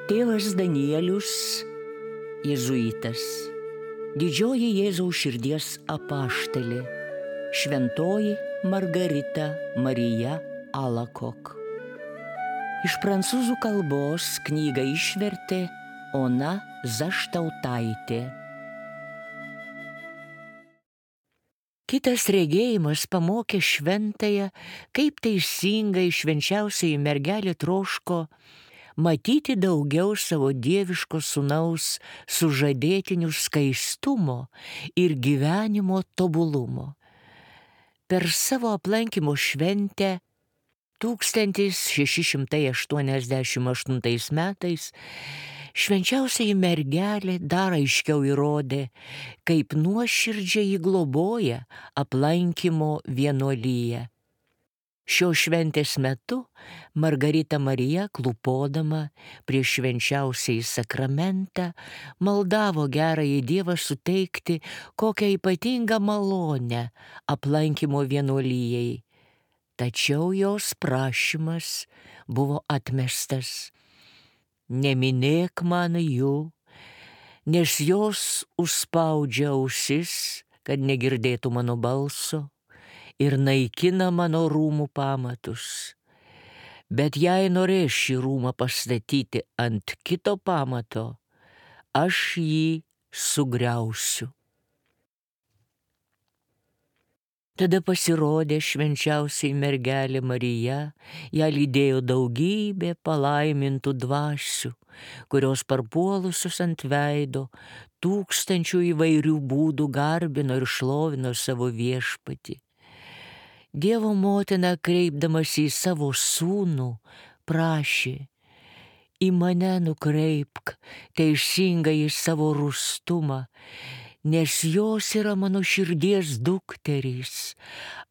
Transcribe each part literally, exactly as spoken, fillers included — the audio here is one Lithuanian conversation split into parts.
Tėvas Danielius, jėzuitas, didžioji Jėzaus širdies apaštalė, šventoji Margarita Marija Alakok. Iš prancūzų kalbos knygą išvertė Ona Zaštautaitė. Kitas regėjimas pamokė šventąją, kaip teisingai švenčiausioji mergelė troško matyti daugiau savo dieviško sūnaus sužadėtinių skaistumo ir gyvenimo tobulumo. Per savo aplankymo šventę tūkstantis šeši šimtai aštuoniasdešimt aštuntais metais švenčiausioji mergelė dar aiškiau įrodė, kaip nuoširdžiai ji globoja aplankymo vienuoliją. Šios šventės metu Margarita Marija, klūpodama prieš švenčiausiąjį sakramentą, maldavo gerąjį Dievą suteikti kokią ypatingą malonę aplankymo vienuolijai. Tačiau jos prašymas buvo atmestas. Neminėk man jų, nes jos užspaudžia ausis, kad negirdėtų mano balso, ir naikina mano rūmų pamatus. Bet jei norės šį rūmą pastatyti ant kito pamato, aš jį sugriausiu. Tada pasirodė švenčiausiai mergelė Marija, ją lydėjo daugybė palaimintų dvasių, kurios parpuolusios ant veido tūkstančių įvairių būdų garbino ir šlovino savo viešpatį. Dievo motina, kreipdamasi į savo sūnų, prašė: į mane nukreipk teisingai į savo rūstumą, nes jos yra mano širdies dukterys.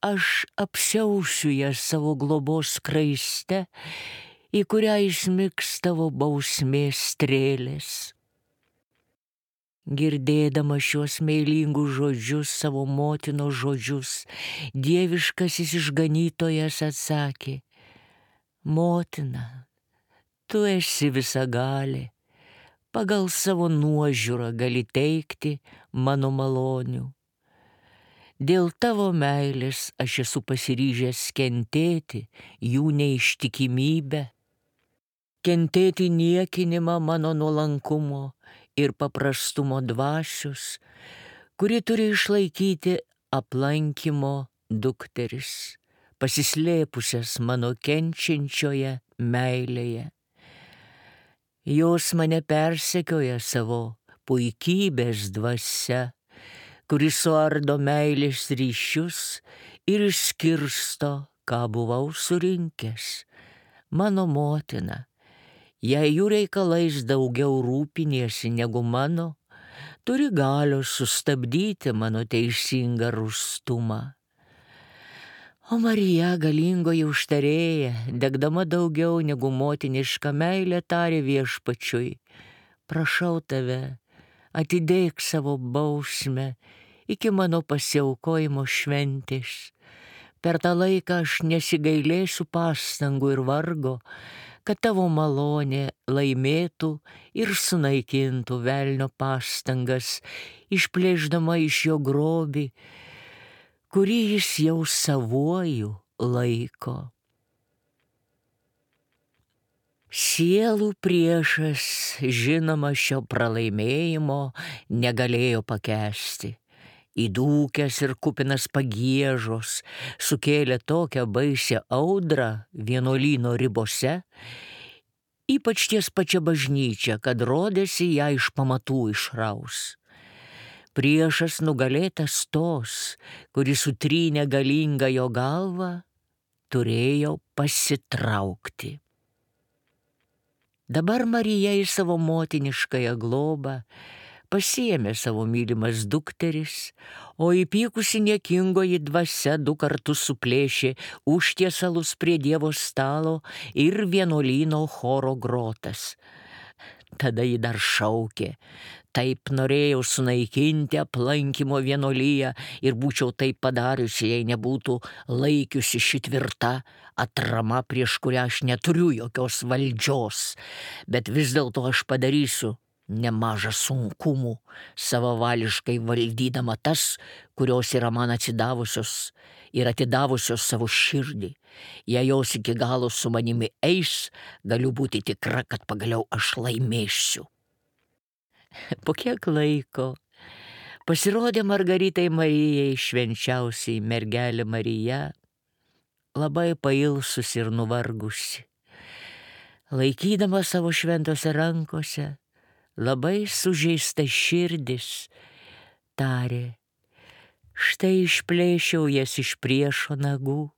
Aš apsiausiu jas savo globos skraiste, į kurią įsmigs tavo bausmės strėlės. Girdėdama šios meilingus žodžius, savo motinos žodžius, dieviškasis išganytojas atsakė: motina, tu esi visagalė, pagal savo nuožiūrą gali teikti mano malonių. Dėl tavo meilės aš esu pasiryžęs kentėti jų neištikimybę, kentėti niekinimą mano nuolankumo ir paprastumo dvasios, kuri turi išlaikyti aplankymo dukteris, pasislėpusias mano kenčiančioje meilėje. Jos mane persekioja savo puikybės dvasia, kuris suardo meilės ryšius ir išskirsto, ką buvau surinkęs. Mano motina, jei jų reikalais daugiau rūpiniesi negu mano, turi galios sustabdyti mano teisingą rūstumą. O Marija, galingoji užtarėja, degdama daugiau negu motinišką meilę, tarė viešpačiui: prašau tave, atidėk savo bausmę iki mano pasiaukojimo šventės. Per tą laiką aš nesigailėsiu pastangų ir vargo, kad tavo malonė laimėtų ir sunaikintų velnio pastangas, išplėšdama iš jo grobį, kurį jis jau savuoju laiko. Sielų priešas, žinoma, šio pralaimėjimo negalėjo pakęsti. Įdūkęs ir kupinas pagiežos sukėlė tokią baisią audrą vienuolyno ribose, ypač ties pačia bažnyčia, kad rodėsi ją iš pamatų išraus. Priešas nugalėtas tos, kuris sutrynė galingą jo galvą, turėjo pasitraukti. Dabar Marija į savo motiniškąją globą pasiėmė savo mylimas dukteris, o įpykusi niekingoji dvasia du kartus suplėšė užtiesalus prie Dievo stalo ir vienuolyno choro grotas. Tada ji dar šaukė: taip norėjau sunaikinti aplankymo vienuolyją ir būčiau taip padariusi, jei nebūtų laikiusi ši tvirta atrama, prieš kurią aš neturiu jokios valdžios. Bet vis dėlto aš padarysiu nemažą sunkumų, savavališkai valdydama tas, kurios yra man atsidavusios ir atidavusios savo širdį. Jei jos iki galo su manimi eis, galiu būti tikra, kad pagaliau aš laimėsiu. Po kiek laiko pasirodė Margaritai Marijai švenčiausiai mergelė Marija, labai pailsusi ir nuvargusi. Laikydama savo šventose rankose, labai sužeista širdis, tarė: štai išplėšiau jas iš priešo nagų,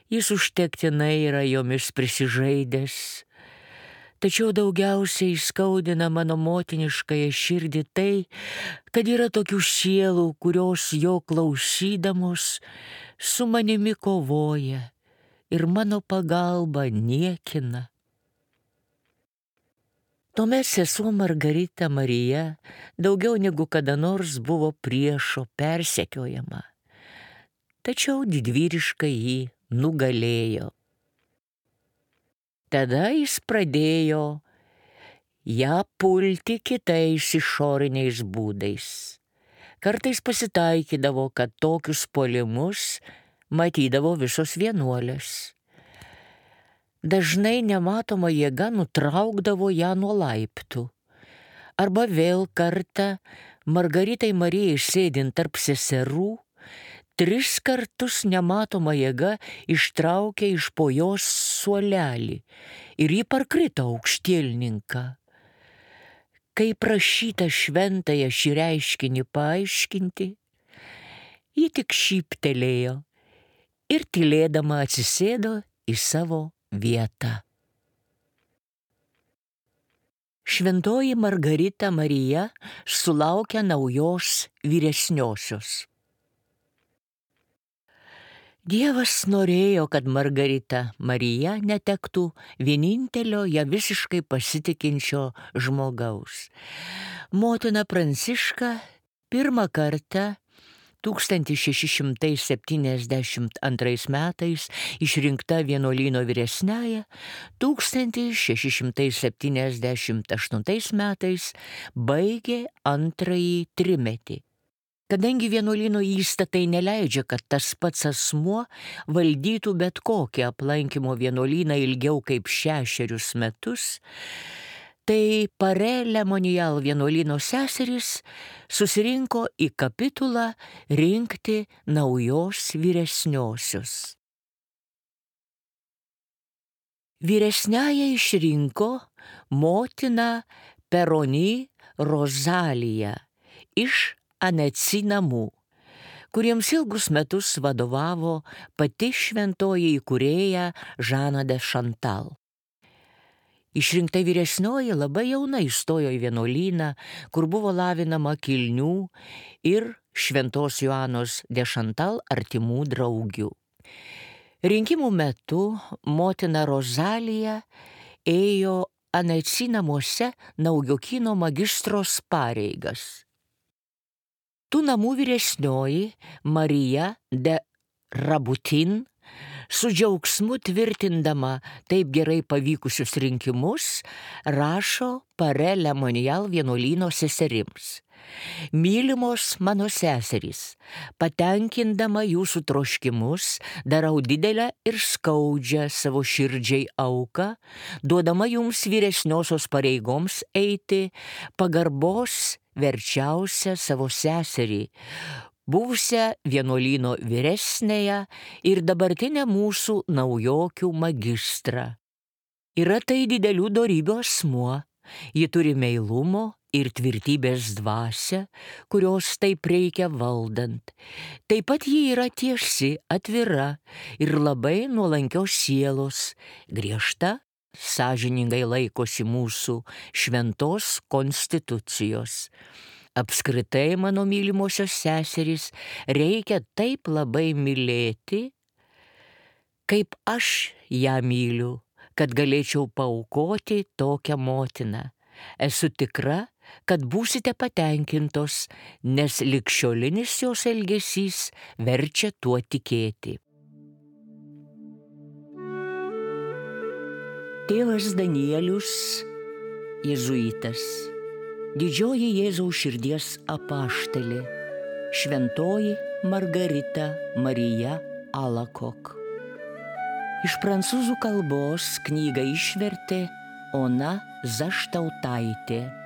jis užtektinai yra jomis prisižaidęs. Tačiau daugiausiai skaudina mano motiniškąją širdį tai, kad yra tokių sielų, kurios jo klausydamos su manimi kovoja ir mano pagalba niekina. Tuomet sesuo Margarita Marija daugiau negu kada nors buvo priešo persekiojama, tačiau didvyriškai jį nugalėjo. Tada jis pradėjo ją pulti kitais išoriniais būdais. Kartais pasitaikydavo, kad tokius puolimus matydavo visos vienuolės. Dažnai nematoma jėga nutraukdavo ją nuo laiptų. Arba vėl kartą Margaritai Marijai sėdint tarp seserų, tris kartus nematoma jėga ištraukė iš po jos suolelį ir ji parkrito aukštielninką. Kai prašyta šventąją šį reiškinį paaiškinti, ji tik šyptelėjo ir tylėdama atsisėdo į savo vietą. Šventoji Margarita Marija sulaukia naujos vyresniosios. Dievas norėjo, kad Margarita Marija netektų vienintelio ją visiškai pasitikinčio žmogaus. Motina Pranciška pirmą kartą tūkstantis šeši šimtai septyniasdešimt antrais metais išrinkta vienuolyno vyresniąja, tūkstantis šeši šimtai septyniasdešimt aštuntais metais baigė antrąjį trimetį. Kadangi vienuolyno įstatai neleidžia, kad tas pats asmuo valdytų bet kokį aplankymo vienuolyną ilgiau kaip šešerius metus, tai Pare Lemonial vienuolyno seserys susirinko į kapitulą rinkti naujos vyresniosios. Vyresniąją išrinko motina Peroni Rozalija iš Anetsi namų, kuriems ilgus metus vadovavo pati šventoji įkūrėja Žana de Chantal. Išrinkta vyresnioji labai jauna įstojo į vienuolyną, kur buvo lavinama kilnių ir šventos Joanos de Chantal artimų draugių. Rinkimų metu motina Rozalija ėjo Anetsi namuose Naujokyno magistros pareigas. Tų namų vyresnioji Marija de Rabutin su džiaugsmu tvirtindama taip gerai pavykusius rinkimus rašo Pare Lemonial vienuolyno seserims: mylimos mano seserys, patenkindama jūsų troškimus, darau didelę ir skaudžią savo širdžiai auką, duodama jums vyresniosios pareigoms eiti pagarbos verčiausią savo seserį, buvusią vienuolyno vyresnėją ir dabartinę mūsų naujokių magistrą. Yra tai didelių dorybių asmuo, ji turi meilumo ir tvirtybės dvasią, kurios taip reikia valdant. Taip pat ji yra tiesi, atvira ir labai nuolankios sielos, griežta, sąžiningai laikosi mūsų šventos konstitucijos. Apskritai, mano mylimosios seserys, reikia taip labai mylėti, kaip aš ją myliu, kad galėčiau paaukoti tokią motiną. Esu tikra, kad būsite patenkintos, nes ligšiolinis jos elgesys verčia tuo tikėti. Tėvas Danielius, jėzuitas, didžioji Jėzaus širdies apaštalė, šventoji Margarita Marija Alakok. Iš prancūzų kalbos knygą išvertė Ona Zaštautaitė.